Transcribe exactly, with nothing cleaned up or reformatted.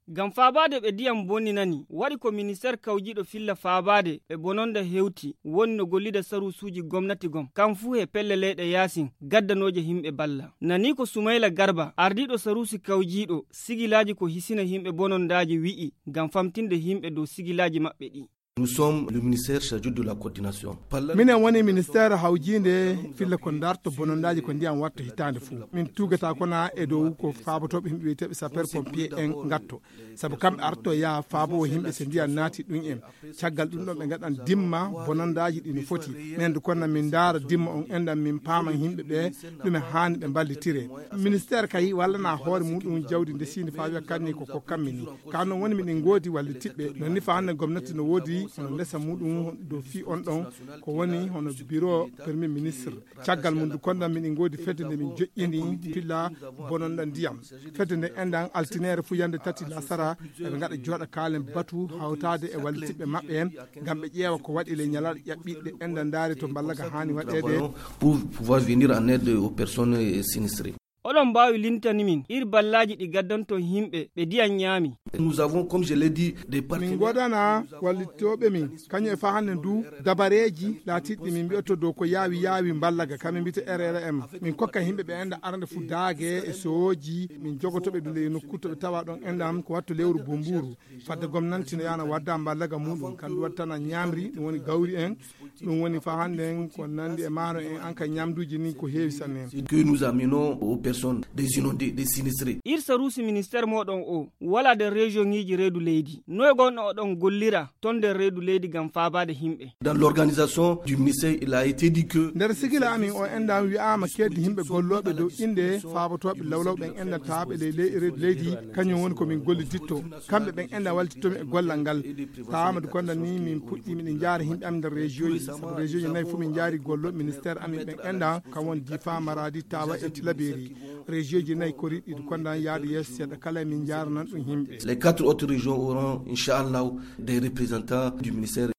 Ngam faabaade ɓe ndiyam bonninani, waɗi ko ministeer kawjiiɗo filla faabaade ɓe bononda hewti, woni no gollida saruusuuji gomnati gom, kam fuu he pelle leyɗe yaasin, gaddanooje himɓe balla. Nani ko Sumayla Garba, ardiiɗo saruusi kawjiiɗo sigilaaji ko hisina himɓe bonondaaji wi'i, ngam famtinde himɓe dow sigilaaji maɓɓe ɗi. Nous sommes le ministère chargé de la coordination. Minen woni ministeer hawjiinde filla ko darto bonondaaji ko ndiyam watta hitaande fuu. Min tuugata kona e dow ko faabotooɓe himɓe wiyeteeɓe sapeur pompier en ngatto. Sabu kamɓe arto yaha faabo himɓe so ndiyam naati ɗum en. Caggal ɗum ɗon ɓe ngaɗan dimma bonondaaji ɗi no foti. Min ndu konna min ndaara dimma on enɗan min paaman himɓe ɓe ɗume haani ɓe mballitire. Ministeer kay wallana hoore muɗum jawdi ndesiindi faa wiya kanni ko kokkammi ni. Ka non woni miɗen ngoodi wallitiɓɓe. Non ni faa hannde gomnati no woodi hono ndesa muɗum dow fii on ɗon ko woni hono biro premier ministre. Caggal mum du kondan miɗen ngoodi fedde nde min joƴƴini filla bononɗa ndiyam. Fedde nde enɗan altineere fuu yande tati lasara eɓe ngaɗa jooɗa kaalen batu hawtaade e wallitiɓɓe maɓɓe en ngam ɓe ƴeewa ko waɗi ley ñalaaɗe ƴaɓɓiiɗe enɗan ndaari to mballaga haani waɗeede. Pour pouvoir venir en aide aux personnes sinistrées. Oɗon mbaawi lintani min ir ballaaji ɗi gaddanton himɓe ɓe ndiyam ñaami. Nous avons, comme je l'ai dit, des min partenaires. Ngodana wallitooɓe min kañum e faa hannde ndu dabareeji laatiiɗi min mbiyoto dow ko yaawi yaawi mballaga kamin mbiyete R R M. Min kokka yimɓe ɓe enda arande fu daage e sooji min jogotoɓe ɗum ley nokku to ɓe tawa ɗon endam ko wattu lewru bumburu. Fadde gomnanti no yaana wadda mballaga muɗum kandu wattana ñamri ɗum woni gawri en. Ɗum woni fa hannde en ko nandi e maaro en an ka ñamduuji ni ko heewi sanne. Que nous amenons aux personnes des inondés, des sinistrés. Ir saruusi ministeer mooɗon o wala nder région ŋiiji reedu leydi noy gonno oɗon gollira ton nder reedu leydi ngam faabaade himɓe. Dans l'organisation du ministère, il a été dit que nder sigila amin o enɗan wi'aama keeddi himɓe gollooɓe dow innde faabotooɓe lawlawɓe en enɗan tawaaɓe ley ley reedu leydi. Kañum woni ko min golliditto kamɓe ɓen enɗan wallittomi e gollal ngal. Tawa madu konda ni min puɗɗi miɗen jaari himɓe amin nder région ji sabu région ji nayi fof min jaari gollo ministère amin ɓen enɗan kam woni difa maradi tawa e tilaberi. Région ji nayi koriɗi kondan yaade yeeso seeɗa kala min jaaranan ɗum himɓe. Les quatre autres régions auront inchallah des représentants du ministère.